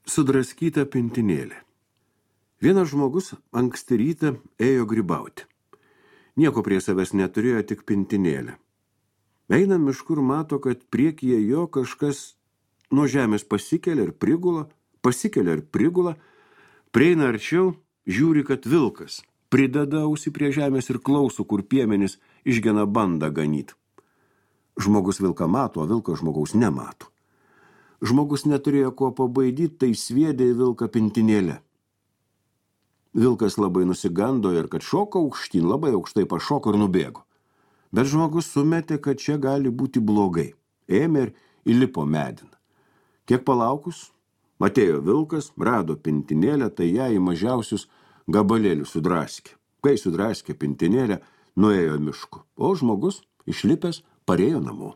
Sudraskyta pintinėlė. Vienas žmogus anksti rytą ėjo grybauti. Nieko prie savęs neturėjo, tik pintinėlę. Eina mišku ir mato, kad priekyje jo kažkas nuo žemės pasikelia ir prigula, prieina arčiau, žiūri, kad vilkas, prideda ausį prie žemės ir klauso, kur piemenys išgena bandą ganyt. Žmogus vilką mato, o vilkas žmogaus nemato. Žmogus neturėjo kuo pabaidyti, tai sviedė į vilką pintinėlę. Vilkas labai nusigando ir kad šoka aukštyn, labai aukštai pašoko ir nubėgo. Bet žmogus sumetė, kad čia gali būti blogai. Ėmė ir įlipo medin. Kiek palaukus, atėjo vilkas, rado pintinėlę, tai ją į mažiausius gabalėlius sudraskė. Kai sudraskė pintinėlę, nuėjo mišku, o žmogus išlipęs parėjo namo.